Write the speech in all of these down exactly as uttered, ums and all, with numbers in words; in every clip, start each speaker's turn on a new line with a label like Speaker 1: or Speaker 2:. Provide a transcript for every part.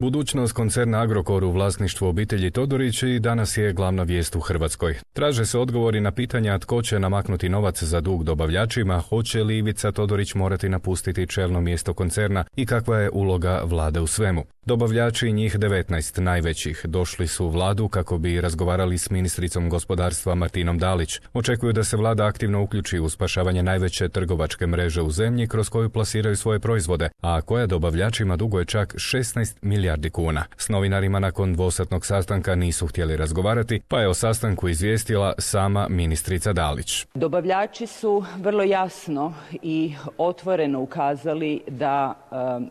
Speaker 1: Budućnost koncerna Agrokor u vlasništvu obitelji Todorić i danas je glavna vijest u Hrvatskoj. Traže se odgovori na pitanja tko će namaknuti novac za dug dobavljačima, hoće li Ivica Todorić morati napustiti čelno mjesto koncerna i kakva je uloga vlade u svemu. Dobavljači, njih devetnaest najvećih, došli su u vladu kako bi razgovarali s ministricom gospodarstva Martinom Dalić. Očekuju da se vlada aktivno uključi u spašavanje najveće trgovačke mreže u zemlji kroz koju plasiraju svoje proizvode, a koja dobavljačima duguje čak šesnaest milijardi kuna. S novinarima nakon dvosatnog sastanka nisu htjeli razgovarati, pa je o sastanku izvijestila sama ministrica Dalić.
Speaker 2: Dobavljači su vrlo jasno i otvoreno ukazali da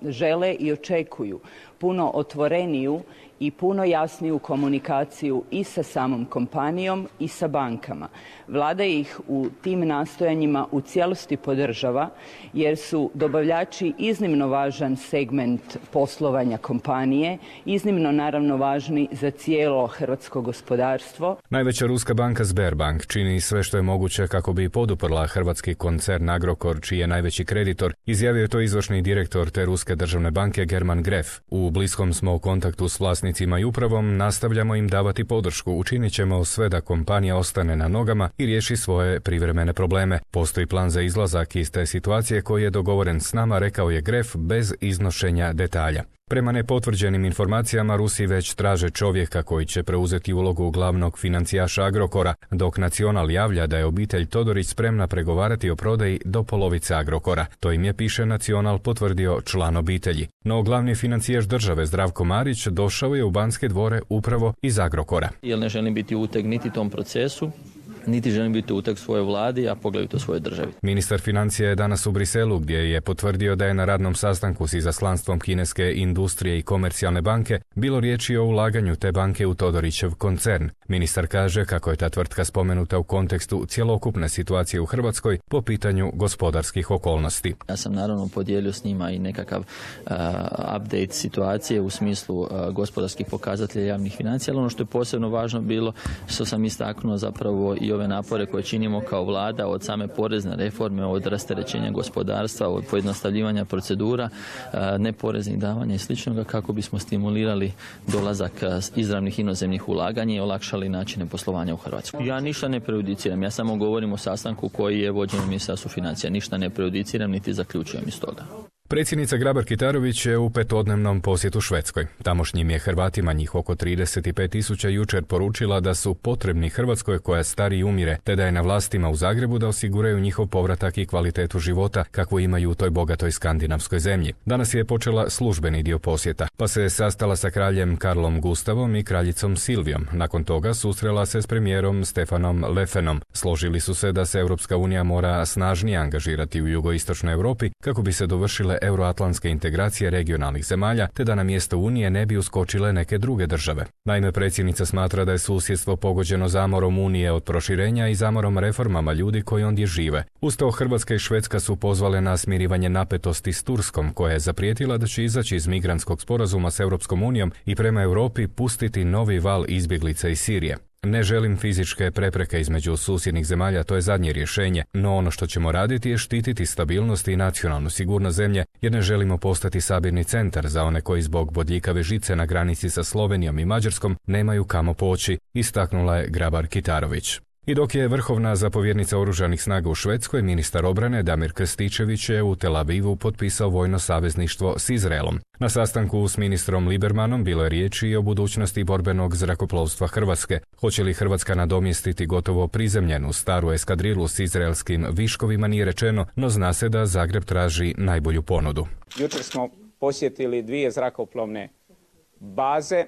Speaker 2: e, žele i očekuju puno otvoreniju i puno jasniju komunikaciju i sa samom kompanijom i sa bankama. Vlada ih u tim nastojanjima u cijelosti podržava jer su dobavljači iznimno važan segment poslovanja kompanije, iznimno naravno važni za cijelo hrvatsko gospodarstvo.
Speaker 1: Najveća ruska banka Sberbank čini sve što je moguće kako bi poduprla hrvatski koncern Agrokor, čiji je najveći kreditor, izjavio je to izvršni direktor te ruske državne banke German Gref. U bliskom smo u kontaktu s vlasnicima i upravom, nastavljamo im davati podršku, učinit ćemo sve da kompanija ostane na nogama i riješi svoje privremene probleme. Postoji plan za izlazak iz te situacije koji je dogovoren s nama, rekao je Gref bez iznošenja detalja. Prema nepotvrđenim informacijama, Rusi već traže čovjeka koji će preuzeti ulogu glavnog financijaša Agrokora, dok Nacional javlja da je obitelj Todorić spremna pregovarati o prodaji do polovice Agrokora. To im je, piše Nacional, potvrdio član obitelji. No glavni financijaš države Zdravko Marić došao je u Banske dvore upravo iz Agrokora.
Speaker 3: Jer ne želim biti uteg niti tom procesu, niti želim biti uteg svojoj vladi, a poglavito svojoj državi.
Speaker 1: Ministar financija je danas u Briselu, gdje je potvrdio da je na radnom sastanku s izaslanstvom kineske industrije i komercijalne banke bilo riječi o ulaganju te banke u Todorićev koncern. Ministar kaže kako je ta tvrtka spomenuta u kontekstu cjelokupne situacije u Hrvatskoj po pitanju gospodarskih okolnosti.
Speaker 3: Ja sam naravno podijelio s njima i nekakav uh, update situacije u smislu uh, gospodarskih pokazatelja javnih financija, ali ono što je posebno važno bilo, što sam istaknuo zapravo i ove napore koje činimo kao vlada, od same porezne reforme, od rasterećenja gospodarstva, od pojednostavljivanja procedura, neporeznih davanja i sličnoga, kako bismo stimulirali dolazak izravnih inozemnih ulaganja i olakšali načine poslovanja u Hrvatskoj. Ja ništa ne prejudiciram, ja samo govorim o sastanku koji je vođen u Ministarstvu financija. Ništa ne prejudiciram niti zaključujem iz toga.
Speaker 1: Predsjednica Grabar-Kitarović je u petodnevnom posjetu Švedskoj. Tamošnjim je Hrvatima, njih oko trideset pet tisuća, jučer poručila da su potrebni Hrvatskoj koja stari i umire, te da je na vlastima u Zagrebu da osiguraju njihov povratak i kvalitetu života kakvu imaju u toj bogatoj skandinavskoj zemlji. Danas je počela službeni dio posjeta, pa se je sastala sa kraljem Karlom Gustavom i kraljicom Silvijom. Nakon toga susrela se s premijerom Stefanom Lefenom. Složili su se da se Europska unija mora snažnije angažirati u jugoistočnoj Europi kako bi se dovršile euroatlantske integracije regionalnih zemalja, te da na mjesto Unije ne bi uskočile neke druge države. Naime, predsjednica smatra da je susjedstvo pogođeno zamorom Unije od proširenja i zamorom reformama ljudi koji ondje žive. Uz to Hrvatska i Švedska su pozvale na smirivanje napetosti s Turskom, koja je zaprijetila da će izaći iz migrantskog sporazuma s Europskom unijom i prema Europi pustiti novi val izbjeglica iz Sirije. Ne želim fizičke prepreke između susjednih zemalja, to je zadnje rješenje, no ono što ćemo raditi je štititi stabilnost i nacionalnu sigurnost zemlje, jer ne želimo postati sabirni centar za one koji zbog bodljikave žice na granici sa Slovenijom i Mađarskom nemaju kamo poći, istaknula je Grabar-Kitarović. I dok je vrhovna zapovjednica oružanih snaga u Švedskoj, ministar obrane Damir Krstičević je u Tel Avivu potpisao vojno savezništvo s Izraelom. Na sastanku s ministrom Libermanom bilo je riječi i o budućnosti borbenog zrakoplovstva Hrvatske. Hoće li Hrvatska nadomjestiti gotovo prizemljenu staru eskadrilu s izraelskim viškovima nije rečeno, no zna se da Zagreb traži najbolju ponudu.
Speaker 4: Jučer smo posjetili dvije zrakoplovne baze.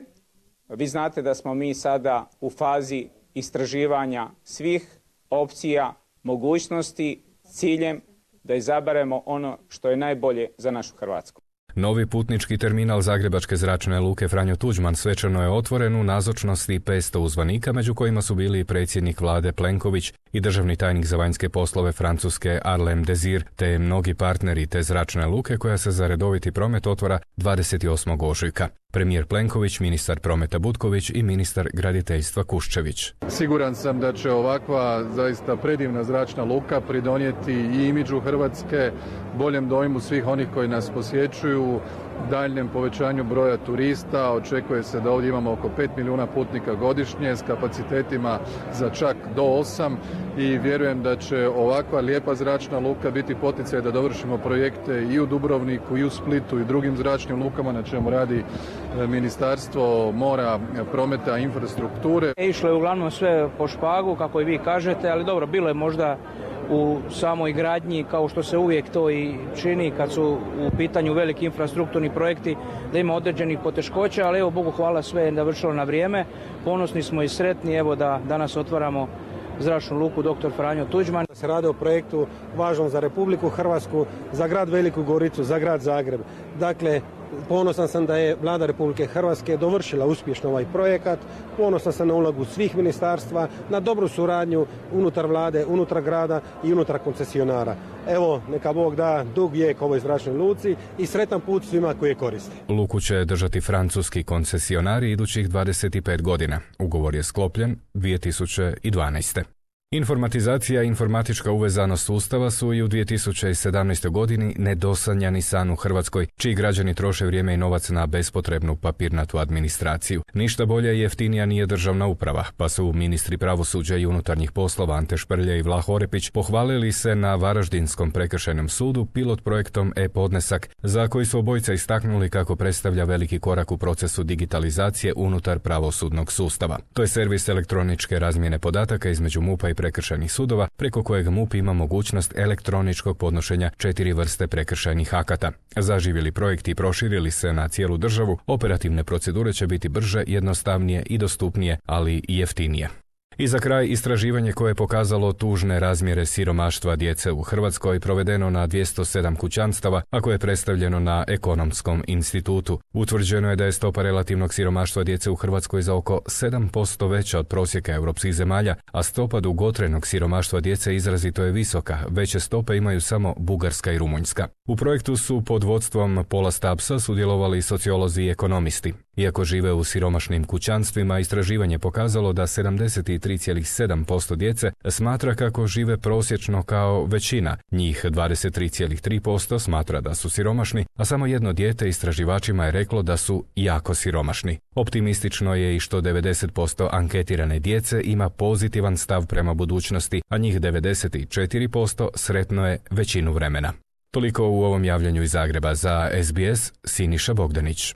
Speaker 4: Vi znate da smo mi sada u fazi istraživanja svih opcija, mogućnosti, ciljem da izaberemo ono što je najbolje za našu Hrvatsku.
Speaker 1: Novi putnički terminal Zagrebačke zračne luke Franjo Tuđman svečano je otvoren u nazočnosti petsto uzvanika, među kojima su bili predsjednik vlade Plenković i državni tajnik za vanjske poslove Francuske Arlem Desir, te mnogi partneri te zračne luke koja se za redoviti promet otvara dvadeset osmog ožujka. Premijer Plenković, ministar prometa Butković i ministar graditeljstva Kuščević.
Speaker 5: Siguran sam da će ovakva zaista predivna zračna luka pridonijeti i imidžu Hrvatske, boljem dojmu svih onih koji nas posjećuju, daljnjem povećanju broja turista. Očekuje se da ovdje imamo oko pet milijuna putnika godišnje s kapacitetima za čak do osam i vjerujem da će ovakva lijepa zračna luka biti poticaj da dovršimo projekte i u Dubrovniku i u Splitu i drugim zračnim lukama na čemu radi Ministarstvo mora, prometa i infrastrukture.
Speaker 6: Išlo je uglavnom sve po špagu, kako i vi kažete, ali dobro, bilo je možda u samoj gradnji, kao što se uvijek to i čini kad su u pitanju veliki infrastrukturni projekti, da ima određenih poteškoća, ali evo, Bogu hvala, sve je završilo na vrijeme. Ponosni smo i sretni, evo, da danas otvaramo zračnu luku doktor Franjo Tuđman.
Speaker 7: Se radi o projektu važnom za Republiku Hrvatsku, za grad Veliku Goricu, za grad Zagreb. Dakle, ponosan sam da je Vlada Republike Hrvatske dovršila uspješno ovaj projekat, ponosan sam na ulogu svih ministarstva, na dobru suradnju unutar Vlade, unutar grada i unutar koncesionara. Evo, neka Bog da dug vijek ovoj zračnoj luci i sretan put svima koji je koriste.
Speaker 1: Luku će držati francuski koncesionari idućih dvadeset pet godina. Ugovor je sklopljen dvije tisuće dvanaeste. Informatizacija i informatička uvezanost sustava su i u dvije tisuće sedamnaestoj godini nedosanjani san u Hrvatskoj, čiji građani troše vrijeme i novac na bespotrebnu papirnatu administraciju. Ništa bolje i jeftinija nije državna uprava, pa su ministri pravosuđa i unutarnjih poslova Ante Šprlje i Vlah Orepić pohvalili se na Varaždinskom prekršajnom sudu pilot projektom e-podnesak, za koji su obojica istaknuli kako predstavlja veliki korak u procesu digitalizacije unutar pravosudnog sustava. To je servis elektroničke razmjene podataka između MUP-a i prekršajnih sudova, preko kojeg MUP ima mogućnost elektroničkog podnošenja četiri vrste prekršajnih akata. Zaživjeli projekti i proširili se na cijelu državu, operativne procedure će biti brže, jednostavnije i dostupnije, ali i jeftinije. I za kraj, istraživanje koje je pokazalo tužne razmjere siromaštva djece u Hrvatskoj provedeno na dvjesto sedam kućanstava, a koje je predstavljeno na Ekonomskom institutu. Utvrđeno je da je stopa relativnog siromaštva djece u Hrvatskoj za oko sedam posto veća od prosjeka europskih zemalja, a stopa dugotrajnog siromaštva djece izrazito je visoka, veće stope imaju samo Bugarska i Rumunjska. U projektu su pod vodstvom Paula Stubbsa sudjelovali sociolozi i ekonomisti. Iako žive u siromašnim kućanstvima, istraživanje pokazalo da sedamdeset tri zarez sedam posto djece smatra kako žive prosječno kao većina, njih dvadeset tri zarez tri posto smatra da su siromašni, a samo jedno dijete istraživačima je reklo da su jako siromašni. Optimistično je i što devedeset posto anketirane djece ima pozitivan stav prema budućnosti, a njih devedeset četiri posto sretno je većinu vremena. Toliko u ovom javljanju iz Zagreba. Za S B S, Siniša Bogdanić.